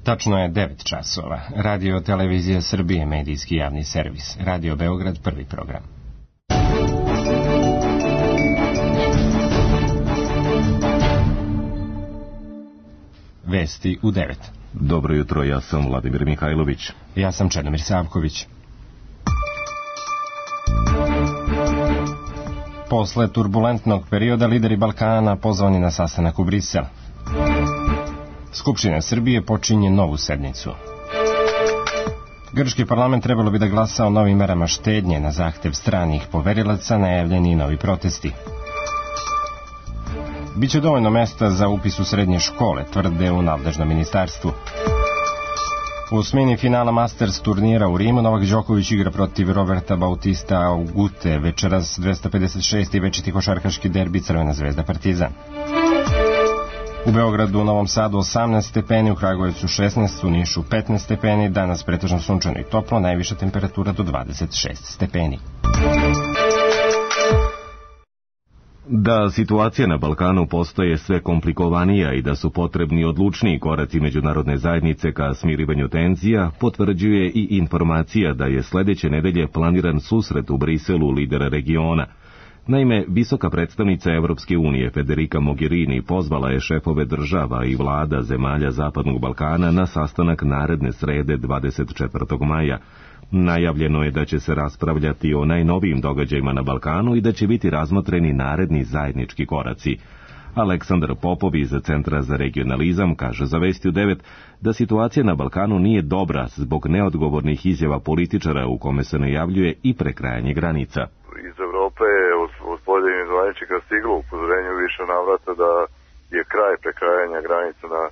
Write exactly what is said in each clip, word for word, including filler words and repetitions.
Tačno je devet časova. Radio Televizija Srbije, medijski javni servis. Radio Beograd, prvi program. Vesti u devet. Dobro jutro, ja sam Vladimir Mihajlović. Ja sam Čedomir Savković. Posle turbulentnog perioda lideri Balkana pozvani na sastanak u Brisel. Skupština Srbije počinje novu sednicu. Grčki parlament trebalo bi da glasa o novim merama štednje na zahtev stranih poverilaca, najavljeni i novi protesti. Biće dovoljno mesta za upis u srednje škole, tvrde u nadležnom ministarstvu. U osmini finala Masters turnira u Rimu Novak Đoković igra protiv Roberta Bautista Agute, večeras dvesta pedeset šesti večiti košarkaški derbi Crvena zvezda Partizan. U Beogradu, u Novom Sadu osamnaest stepeni, u Kragujevcu šesnaest, u Nišu petnaest stepeni, danas pretežno sunčano i toplo, najviša temperatura do dvadeset šest stepeni. Da situacija na Balkanu postaje sve komplikovanija i da su potrebni odlučniji koraci međunarodne zajednice ka smirivanju tenzija, potvrđuje i informacija da je sledeće nedelje planiran susret u Briselu lidera regiona. Naime, visoka predstavnica Evropske unije Federica Mogherini pozvala je šefove država i vlada zemalja Zapadnog Balkana na sastanak naredne srede dvadeset četvrtog maja. Najavljeno je da će se raspravljati o najnovijim događajima na Balkanu i da će biti razmotreni naredni zajednički koraci. Aleksandar Popov iz Centra za regionalizam kaže za Vesti u devet da situacija na Balkanu nije dobra zbog neodgovornih izjava političara u kome se najavljuje i prekrajanje granica. Iz Evrope je od pojedinih zvaničnika stiglo upozorenje više navrata da je kraj prekrajanja granica na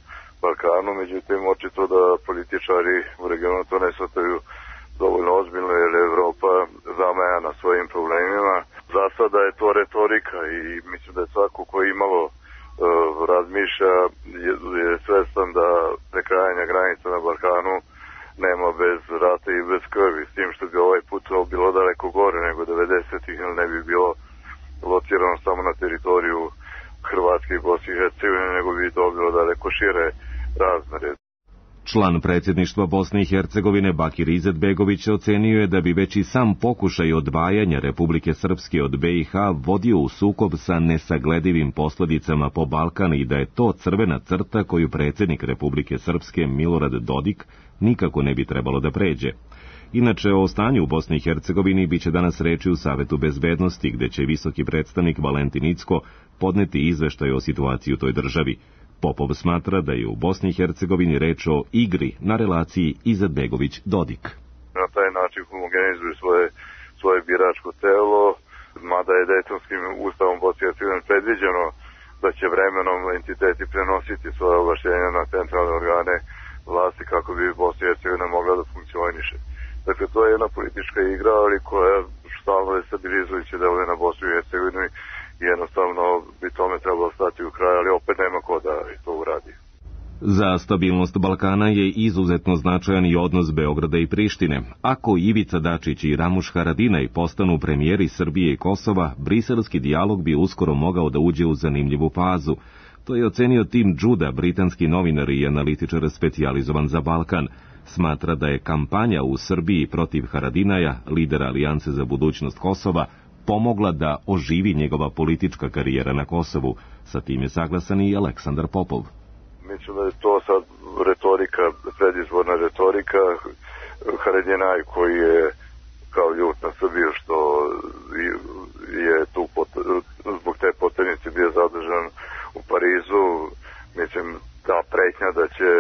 Balkanu, međutim očito da političari u regionu to ne shvataju dovoljno ozbiljno jer je Evropa zamajana svojim problemima. Za sada je to retorika i mislim da je svako koji imalo uh, razmišlja je, je svestan da prekrajanja granica na Balkanu nema bez rata i bez krvi, s tim što bi ovaj put to bilo daleko gore nego devedesetih ili ne bi bilo locirano samo na teritoriju Hrvatske i Bosne i Hercegovine, nego bi to bilo daleko šire razmere. Član predsjedništva Bosne i Hercegovine Bakir Izetbegović ocenio je da bi već i sam pokušaj odvajanja Republike Srpske od B i H vodio u sukob sa nesagledivim posledicama po Balkan i da je to crvena crta koju predsjednik Republike Srpske Milorad Dodik nikako ne bi trebalo da pređe. Inače, o stanju u Bosni i Hercegovini biće danas reči u Savetu bezbednosti, gde će visoki predstavnik Valentin Incko podneti izveštaj o situaciji u toj državi. Popov smatra da je u Bosni i Hercegovini reč o igri na relaciji Izetbegović-Dodik. Na taj način homogenizuju svoje, svoje biračko telo, mada je Dejtonskim ustavom Bosne i Hercegovine predviđeno da će vremenom entiteti prenositi svoje ovlašćenja na centralne organe vlasti kako bi Bosna i Hercegovina mogla da funkcioniše. Dakle, to je jedna politička igra, ali koja stalno destabilizujuće deluje na Bosnu i Hercegovinu i jednostavno bi tome trebalo stati u kraj, ali opet nema ko da to uradi. Za stabilnost Balkana je izuzetno značajan i odnos Beograda i Prištine. Ako Ivica Dačić i Ramuš Haradinaj postanu premijeri Srbije i Kosova, briselski dijalog bi uskoro mogao da uđe u zanimljivu fazu. To je ocenio Tim Đuda, britanski novinar i analitičar specijalizovan za Balkan. Smatra da je kampanja u Srbiji protiv Haradinaja, lidera Alijance za budućnost Kosova, pomogla da oživi njegova politička karijera na Kosovu. Sa tim je saglasan i Aleksandar Popov. Mislim da je to sad retorika, predizborna retorika. Haradinaj koji je kao ljut na Srbiju što je tu pot, zbog te poternice bio zadržan u Parizu. Mislim, ta pretnja da će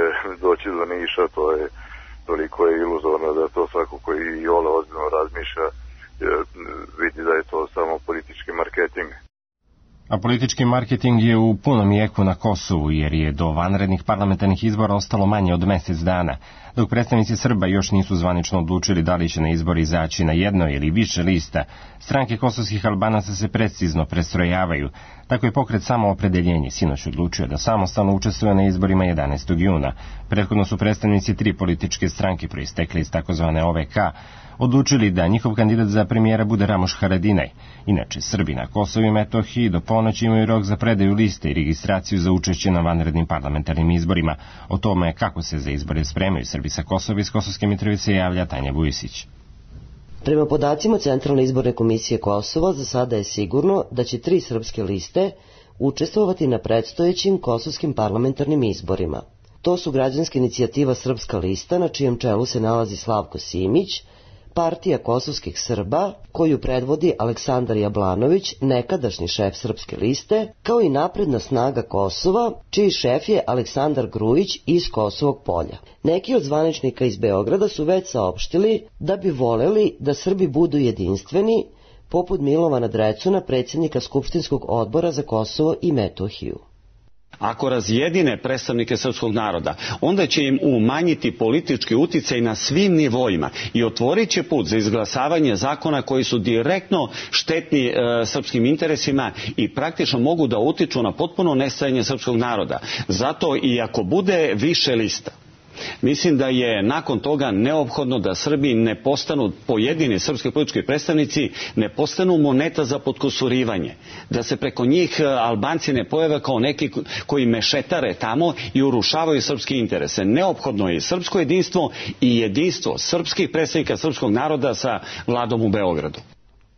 doći do Niša, to je toliko je iluzorno da to svako koji i ole ozbiljno razmišlja vidi da je to samo politički marketing. A politički marketing je u punom jeku na Kosovu, jer je do vanrednih parlamentarnih izbora ostalo manje od mesec dana, dok predstavnici Srba još nisu zvanično odlučili da li će na izbor izaći na jedno ili više lista. Stranke kosovskih Albanaca se precizno prestrojavaju. Tako je pokret Samoopredeljenje sinoć odlučio da samostalno učestvuje na izborima jedanaestog juna. Prethodno su predstavnici tri političke stranke proistekle iz takozvane O V K odlučili da njihov kandidat za premijera bude Ramoš Haradinaj. Inače, Srbi na Kosovu i Metohiji do ponoći imaju rok za predaju liste i registraciju za učešće na vanrednim parlamentarnim izborima. O tome kako se za izbore spremaju Srbi sa Kosova iz Kosovske Mitrovice javlja Tanja Vujisić. Prema podacima Centralne izborne komisije Kosova, za sada je sigurno da će tri srpske liste učestvovati na predstojećim kosovskim parlamentarnim izborima. To su Građanska inicijativa Srpska lista, na čijem čelu se nalazi Slavko Simić, Partija kosovskih Srba, koju predvodi Aleksandar Jablanović, nekadašnji šef Srpske liste, kao i Napredna snaga Kosova, čiji šef je Aleksandar Grujić iz Kosovog Polja. Neki od zvaničnika iz Beograda su već saopštili da bi voleli da Srbi budu jedinstveni, poput Milovana Drecuna, predsjednika Skupštinskog odbora za Kosovo i Metohiju. Ako razjedine predstavnike srpskog naroda, onda će im umanjiti politički uticaj na svim nivoima i otvorit će put za izglasavanje zakona koji su direktno štetni e, srpskim interesima i praktično mogu da utiču na potpuno nestajanje srpskog naroda. Zato i ako bude više lista, mislim da je nakon toga neophodno da Srbi ne postanu, pojedini srpski politički predstavnici, ne postanu moneta za potkusurivanje. Da se preko njih Albanci ne pojave kao neki koji mešetare tamo i urušavaju srpske interese. Neophodno je srpsko jedinstvo i jedinstvo srpskih predstavnika srpskog naroda sa vladom u Beogradu.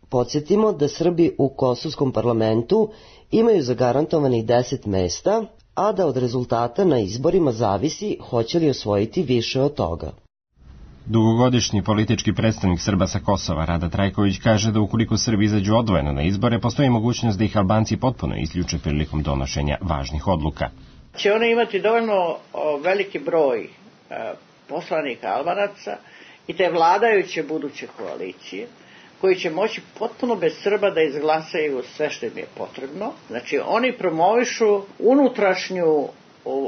Podsjetimo da Srbi u kosovskom parlamentu imaju zagarantovanih deset mesta, a da od rezultata na izborima zavisi hoće li osvojiti više od toga. Dugogodišnji politički predstavnik Srba sa Kosova, Rada Trajković, kaže da ukoliko Srbi izađu odvojeno na izbore, postoji mogućnost da ih Albanci potpuno isključe prilikom donošenja važnih odluka. Će one imati dovoljno veliki broj poslanika Albanaca i te vladajuće buduće koalicije, koji će moći potpuno bez Srba da izglasaju sve što im je potrebno. Znači, oni promovišu unutrašnju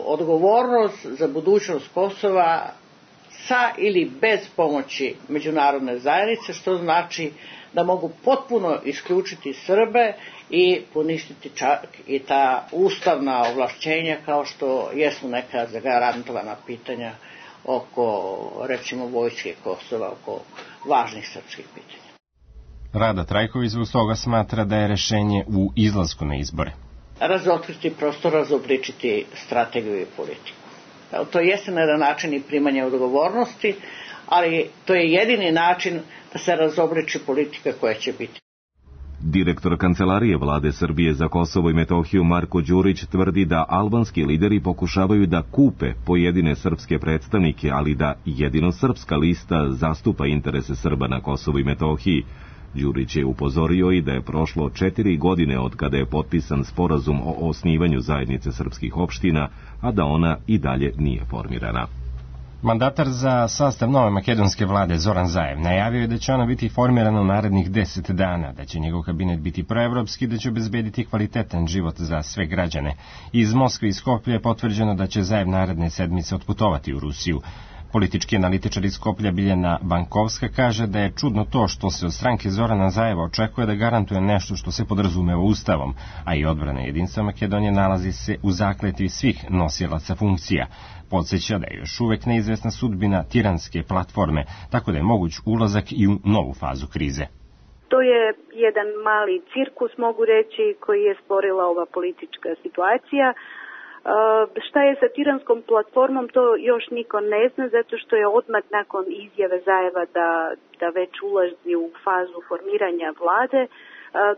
odgovornost za budućnost Kosova sa ili bez pomoći međunarodne zajednice, što znači da mogu potpuno isključiti Srbe i poništiti čak i ta ustavna ovlašćenja, kao što jesu neka zagarantovana pitanja oko, recimo, vojske Kosova, oko važnih srpskih pitanja. Rada Trajković zbog toga smatra da je rešenje u izlasku na izbore. Razotkriti, prosto razobličiti strategiju i politiku. To jeste na jedan način i primanje odgovornosti, ali to je jedini način da se razobliči politika koja će biti. Direktor Kancelarije Vlade Srbije za Kosovo i Metohiju Marko Đurić tvrdi da albanski lideri pokušavaju da kupe pojedine srpske predstavnike, ali da jedino srpska lista zastupa interese Srba na Kosovu i Metohiji. Đurić je upozorio i da je prošlo četiri godine od kada je potpisan sporazum o osnivanju zajednice srpskih opština, a da ona i dalje nije formirana. Mandatar za sastav nove makedonske vlade Zoran Zaev najavio je da će ona biti formirana u narednih deset dana, da će njegov kabinet biti proevropski, da će obezbediti kvalitetan život za sve građane. Iz Moskve i Skoplja je potvrđeno da će Zaev naredne sedmice otputovati u Rusiju. Politički analitičar iz Skoplja Biljana Bankovska kaže da je čudno to što se od stranke Zorana Zajeva očekuje da garantuje nešto što se podrazumeva ustavom, a i odbrana jedinstva Makedonije nalazi se u zakletvi svih nosilaca funkcija. Podsjeća da je još uvek neizvesna sudbina tiranske platforme, tako da je moguć ulazak i u novu fazu krize. To je jedan mali cirkus, mogu reći, koji je stvorila ova politička situacija. Uh, šta je sa tiranskom platformom, to još niko ne zna, zato što je odmah nakon izjave Zajeva da, da već ulazi u fazu formiranja vlade, uh,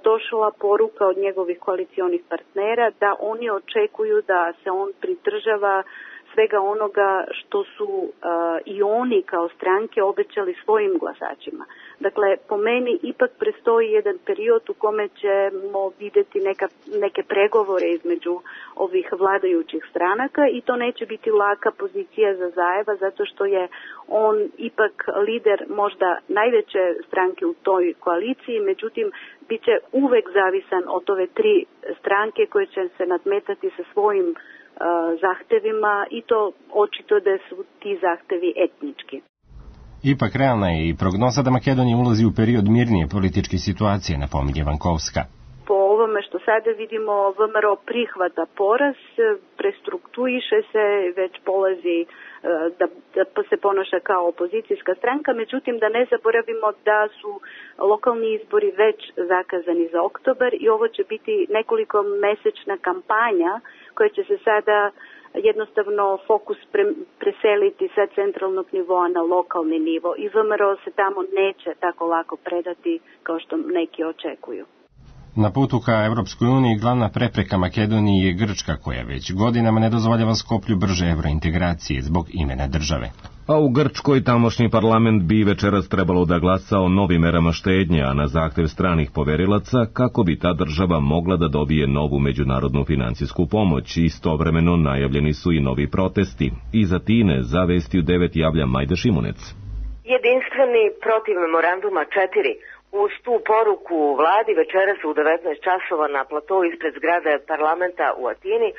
došla poruka od njegovih koalicionih partnera da oni očekuju da se on pridržava svega onoga što su uh, i oni kao stranke obećali svojim glasačima. Dakle, po meni ipak prestoji jedan period u kome ćemo vidjeti neka, neke pregovore između ovih vladajućih stranaka i to neće biti laka pozicija za Zajeva, zato što je on ipak lider možda najveće stranke u toj koaliciji, međutim, bit će uvek zavisan od ove tri stranke koje će se nadmetati sa svojim uh, zahtevima i to očito da su ti zahtevi etnički. Ipak realna je i prognoza da Makedonija ulazi u period mirnije političke situacije, napominje Vankovska. Po ovome onome što sada vidimo, V M R O prihvata poraz, prestrukturiše se, već polazi da, da se ponaša kao opozicijska stranka, međutim da ne zaboravimo da su lokalni izbori već zakazani za oktobar i ovo će biti nekoliko mesečna kampanja koja će se sada jednostavno fokus pre, preseliti sa centralnog nivoa na lokalni nivo i V M R O se tamo neće tako lako predati kao što neki očekuju. Na putu ka Evropskoj uniji glavna prepreka Makedoniji je Grčka, koja već godinama ne dozvoljava Skoplju brže evrointegracije zbog imena države. A u Grčkoj tamošnji parlament bi večeras trebalo da glasa o novim merama štednje, a na zahtev stranih poverilaca kako bi ta država mogla da dobije novu međunarodnu finansijsku pomoć. Istovremeno najavljeni su i novi protesti. Iz Atine za Vesti u devet javlja Majda Šimunec. Jedinstveni protiv memoranduma četiri. Uz tu poruku vladi večeras u devetnaest časova na platou ispred zgrade parlamenta u Atini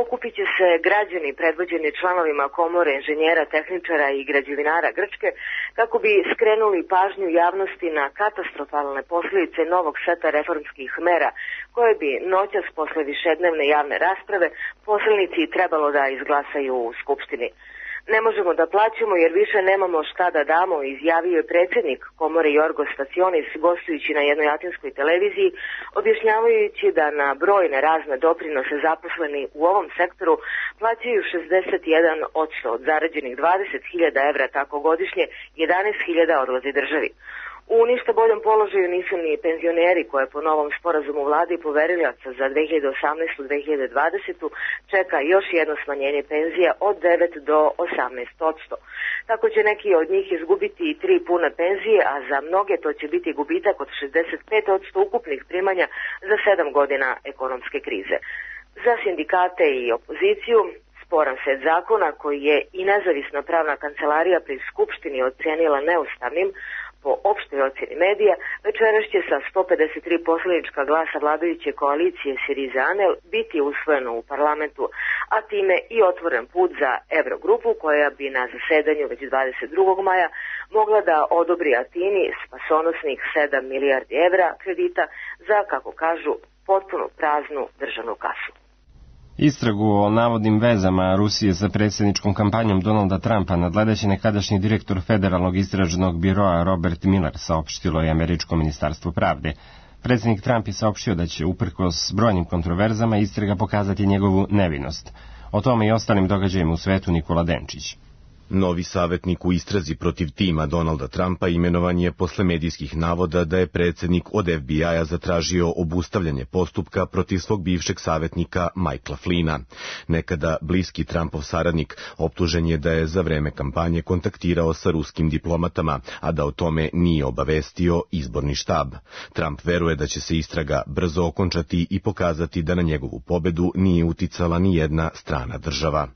okupit će se građani predvođeni članovima komore inženjera, tehničara i građevinara Grčke kako bi skrenuli pažnju javnosti na katastrofalne posljedice novog seta reformskih mera koje bi noćas posle višednevne javne rasprave poslanici trebalo da izglasaju u Skupštini. Ne možemo da plaćamo jer više nemamo šta da damo, izjavio je predsjednik komore Jorgos Stacionis gostujući na jednoj atinskoj televiziji, objašnjavajući da na brojne razne doprinose zaposleni u ovom sektoru plaćaju šezdeset jedan posto od zarađenih dvadeset hiljada evra, tako godišnje jedanaest hiljada odlazi državi. U ništa boljom položaju nisu ni penzioneri koje po novom sporazumu vlade i poverilaca za dve hiljade osamnaestu do dve hiljade dvadesetu čeka još jedno smanjenje penzija od devet do osamnaest posto. Tako će neki od njih izgubiti i tri pune penzije, a za mnoge to će biti gubitak od šezdeset pet posto ukupnih primanja za sedam godina ekonomske krize. Za sindikate i opoziciju sporan set zakona koji je i nezavisna pravna kancelarija pri Skupštini ocenila neustavnim, po opštoj ocjeni medija, večeras će sa sto pedeset tri poslanička glasa vladajuće koalicije Syriza-Anel biti usvojeno u parlamentu, a time i otvoren put za Evrogrupu koja bi na zasedanju već dvadeset drugog maja mogla da odobri Atini spasonosnih sedam milijardi evra kredita za, kako kažu, potpuno praznu državnu kasu. Istragu o navodnim vezama Rusije sa predsjedničkom kampanjom Donalda Trumpa nadgledaće nekadašnji direktor Federalnog istražnog biroa Robert Mueller, saopštilo je američko ministarstvo pravde. Predsjednik Trump je saopštio da će uprkos brojnim kontroverzama istraga pokazati njegovu nevinost. O tome i ostalim događajima u svetu Nikola Denčić. Novi savjetnik u istrazi protiv tima Donalda Trumpa imenovan je posle medijskih navoda da je predsjednik od F B I-a zatražio obustavljanje postupka protiv svog bivšeg savjetnika Michaela Flynna. Nekada bliski Trumpov saradnik optužen je da je za vreme kampanje kontaktirao sa ruskim diplomatama, a da o tome nije obavestio izborni štab. Trump veruje da će se istraga brzo okončati i pokazati da na njegovu pobedu nije uticala ni jedna strana država.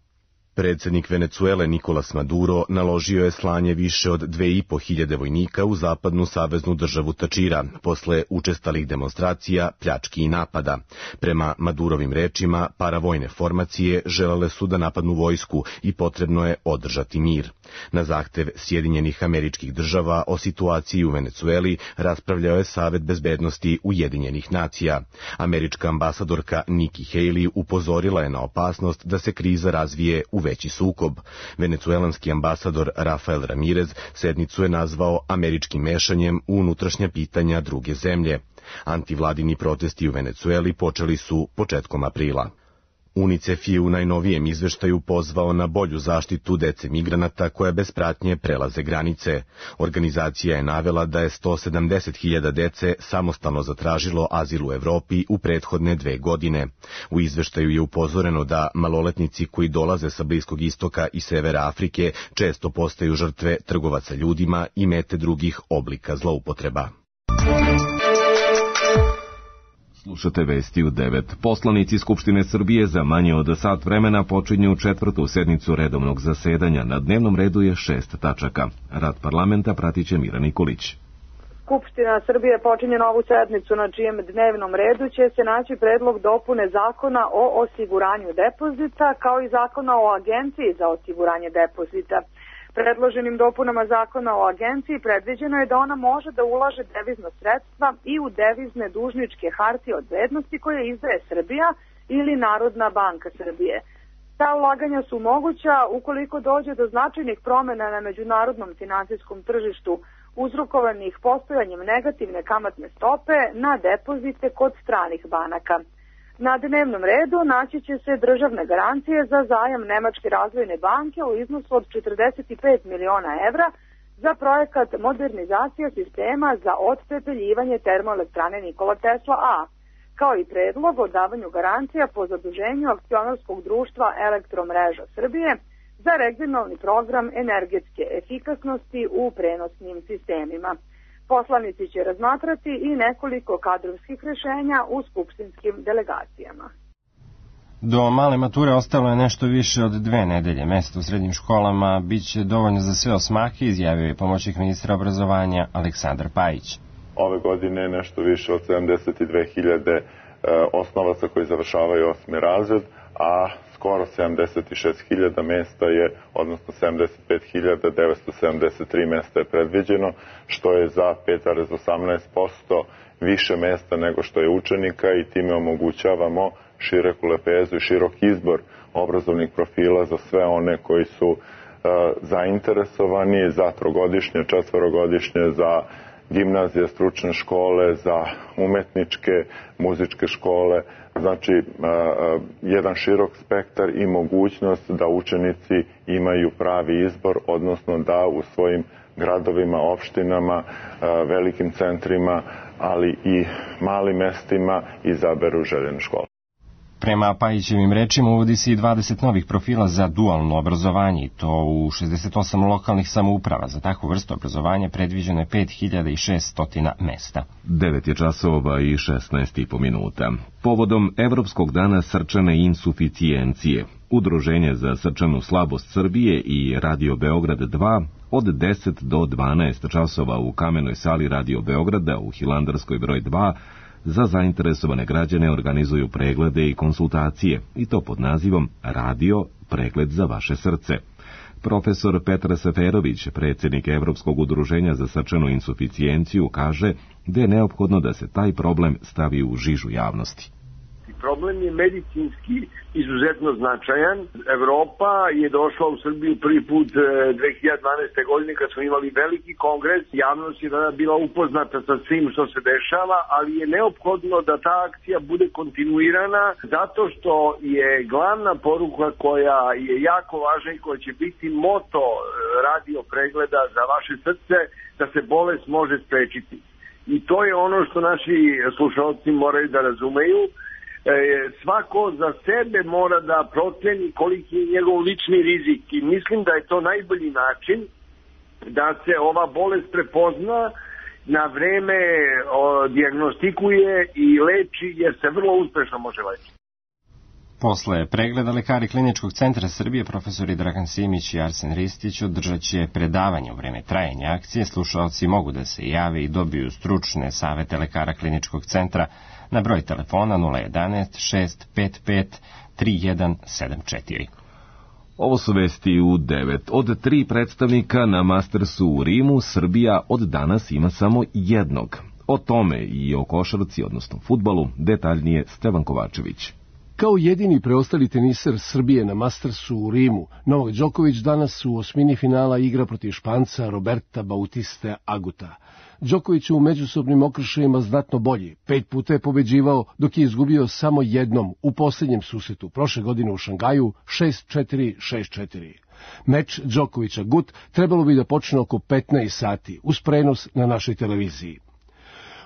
Predsjednik Venecuele Nicolas Maduro naložio je slanje više od dve i po hiljade vojnika u zapadnu saveznu državu Tačira, posle učestalih demonstracija, pljački i napada. Prema Madurovim rečima, paravojne formacije želele su da napadnu vojsku i potrebno je održati mir. Na zahtev Sjedinjenih Američkih Država o situaciji u Venecueli raspravljao je Savet bezbednosti Ujedinjenih nacija. Američka ambasadorka Nikki Haley upozorila je na opasnost da se kriza razvije u veći sukob. Venecuelanski ambasador Rafael Ramirez sednicu je nazvao američkim mešanjem u unutrašnja pitanja druge zemlje. Antivladini protesti u Venecueli počeli su početkom aprila. UNICEF je u najnovijem izveštaju pozvao na bolju zaštitu dece migranata koja bez pratnje prelaze granice. Organizacija je navela da je sto sedamdeset hiljada dece samostalno zatražilo azil u Evropi u prethodne dve godine. U izveštaju je upozoreno da maloletnici koji dolaze sa Bliskog istoka i severa Afrike često postaju žrtve trgovaca ljudima i mete drugih oblika zloupotreba. Slušate Vesti u devet. Poslanici Skupštine Srbije za manje od sat vremena počinju četvrtu sednicu redovnog zasedanja. Na dnevnom redu je šest tačaka. Rad parlamenta pratit će Mira Nikolić. Skupština Srbije počinje novu sednicu na čijem dnevnom redu će se naći predlog dopune zakona o osiguranju depozita kao i zakona o agenciji za osiguranje depozita. Predloženim dopunama zakona o agenciji predviđeno je da ona može da ulaže devizna sredstva i u devizne dužničke hartije od vrednosti koje izdaje Srbija ili Narodna banka Srbije. Ta ulaganja su moguća ukoliko dođe do značajnih promena na međunarodnom finansijskom tržištu uzrokovanih postojanjem negativne kamatne stope na depozite kod stranih banaka. Na dnevnom redu naći će se državne garancije za zajam Nemačke razvojne banke u iznosu od četrdeset pet miliona evra za projekat modernizacija sistema za otpepeljivanje termoelektrane Nikola Tesla A, kao i predlog o davanju garancija po zaduženju akcionarskog društva Elektromreža Srbije za regionalni program energetske efikasnosti u prenosnim sistemima. Poslanici će razmatrati i nekoliko kadrovskih rešenja u skupštinskim delegacijama. Do male mature ostalo je nešto više od dve nedelje. Mesto u srednjim školama biće dovoljno za sve osmake, izjavio je pomoćnik ministra obrazovanja Aleksandar Pajić. Ove godine nešto više od sedamdeset dve hiljade osnovaca koji završavaju osmi razred, a skoro sedamdeset šest hiljada mesta je, odnosno sedamdeset pet hiljada devetsto sedamdeset tri mesta je predviđeno, što je za pet zarez osamnaest posto više mesta nego što je učenika i time omogućavamo široku lepezu i širok izbor obrazovnih profila za sve one koji su uh, zainteresovani za trogodišnje, četvorogodišnje, za gimnazije, stručne škole, za umetničke, muzičke škole, znači jedan širok spektar i mogućnost da učenici imaju pravi izbor, odnosno da u svojim gradovima, opštinama, velikim centrima, ali i malim mestima izaberu željene škole. Prema Pajićevim rečima uvodi se i dvadeset novih profila za dualno obrazovanje, to u šezdeset osam lokalnih samouprava. Za takvu vrstu obrazovanja predviđeno je pet hiljada šesto mesta. devet je časova i šesnaest i po minuta. Povodom Evropskog dana srčane insuficijencije, Udruženje za srčanu slabost Srbije i Radio Beograd dva od deset do dvanaest časova u kamenoj sali Radio Beograda u Hilandarskoj broj dva za zainteresovane građane organizuju preglede i konsultacije, i to pod nazivom Radio pregled za vaše srce. Profesor Petar Seferović, predsjednik Evropskog udruženja za srčanu insuficijenciju, kaže da je neophodno da se taj problem stavi u žižu javnosti. Problem je medicinski izuzetno značajan. Evropa je došla u Srbiju prvi put dve hiljade dvanaeste. godine kad smo imali veliki kongres. Javnost je tada bila upoznata sa svim što se dešava, ali je neophodno da ta akcija bude kontinuirana zato što je glavna poruka koja je jako važna i koja će biti moto radio pregleda za vaše srce, da se bolest može sprečiti. I to je ono što naši slušalci moraju da razumeju. Svako za sebe mora da proceni koliki je njegov lični rizik i mislim da je to najbolji način da se ova bolest prepozna, na vreme dijagnostikuje i leči, jer se vrlo uspešno može lečiti. Posle pregleda lekari Kliničkog centra Srbije, profesori Dragan Simić i Arsen Ristić, održat će predavanje u vreme trajanja akcije. Slušalci mogu da se jave i dobiju stručne savete lekara Kliničkog centra na broj telefona nula jedanaest šest pet pet tri jedan sedam četiri. Ovo su vesti u devet. Od tri predstavnika na Mastersu u Rimu, Srbija od danas ima samo jednog. O tome i o košarci, odnosno fudbalu, detaljnije Stevan Kovačević. Kao jedini preostali teniser Srbije na Mastersu u Rimu, Novak Đoković danas u osmini finala igra protiv Španca Roberta Bautiste Aguta. Đoković u međusobnim okršajima znatno bolji. Pet puta je pobeđivao, dok je izgubio samo jednom u posljednjem susretu prošle godine u Šangaju šest četiri šest četiri. Meč Đokovića-Gut trebalo bi da počne oko petnaest sati, uz prenos na našoj televiziji.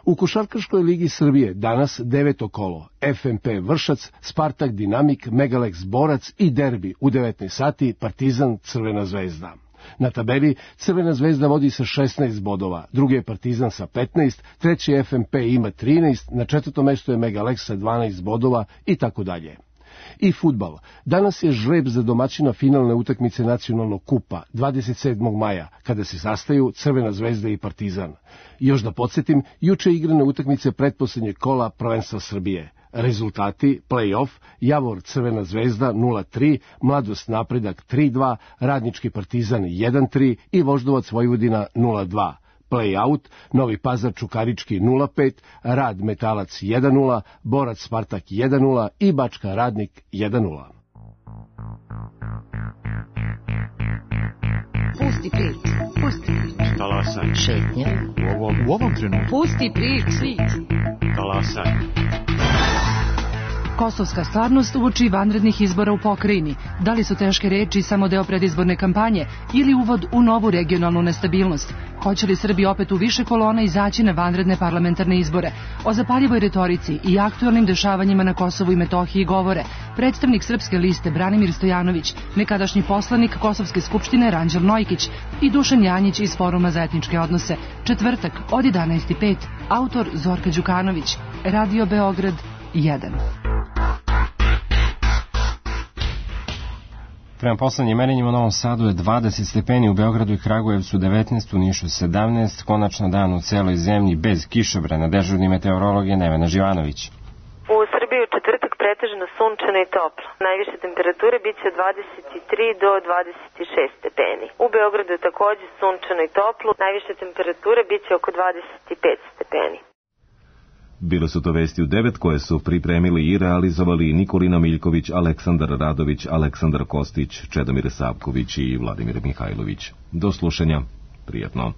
U Košarkaškoj ligi Srbije danas deveto kolo, F M P Vršac, Spartak Dinamik, Megalex Borac i derbi u devetnaest sati, Partizan Crvena zvezda. Na tabeli Crvena zvezda vodi sa šesnaest bodova, drugi je Partizan sa petnaest, treći F M P ima trinaest, na četvrtom mestu je Megalex sa dvanaest bodova i tako dalje. I fudbal. Danas je žreb za domaćina finalne utakmice nacionalnog kupa, dvadeset sedmog maja, kada se sastaju Crvena zvezda i Partizan. Još da podsjetim, juče igrane utakmice pretposlednjeg kola prvenstva Srbije. Rezultati: play-off, Javor Crvena zvezda nula tri, Mladost Napredak tri dva, Radnički Partizan jedan tri i Voždovac Vojvodina nula dva. Play-out, Novi Pazar Čukarički nula pet, Rad Metalac jedan nula, Borac Spartak jedan nula i Bačka Radnik jedan nula. Pusti priču, pusti priču. Talasaj. Šetnja. U ovom, u ovom trenutku. Pusti priču. Talasaj. Kosovska stvarnost uoči vanrednih izbora u pokrajini. Da li su teške reči samo deo predizborne kampanje ili uvod u novu regionalnu nestabilnost? Hoće li Srbi opet u više kolona izaći na vanredne parlamentarne izbore? O zapaljivoj retorici i aktualnim dešavanjima na Kosovu i Metohiji govore predstavnik Srpske liste Branimir Stojanović, nekadašnji poslanik Kosovske skupštine Ranđel Nojkić i Dušan Janjić iz Foruma za etničke odnose. Četvrtak od jedanaest i pet. Autor Zorka Đukanović. Radio Beograd jedan. Prema poslednjim merenjima u Novom Sadu je dvadeset stepeni, u Beogradu i Kragujevcu devetnaest, u Nišu sedamnaest, konačno dan u celoj zemlji bez kišobrana. Dežurni meteorolog je Nevena Živanović. U Srbiji u četvrtak pretežno sunčano i toplo. Najviše temperature biće od dvadeset tri do dvadeset šest stepeni. U Beogradu je takođe sunčano i toplo. Najviše temperature biće oko dvadeset pet stepeni. Bile su to vesti u devet koje su pripremili i realizovali Nikolina Miljković, Aleksandar Radović, Aleksandar Kostić, Čedomir Savković i Vladimir Mihajlović. Do slušanja. Prijatno.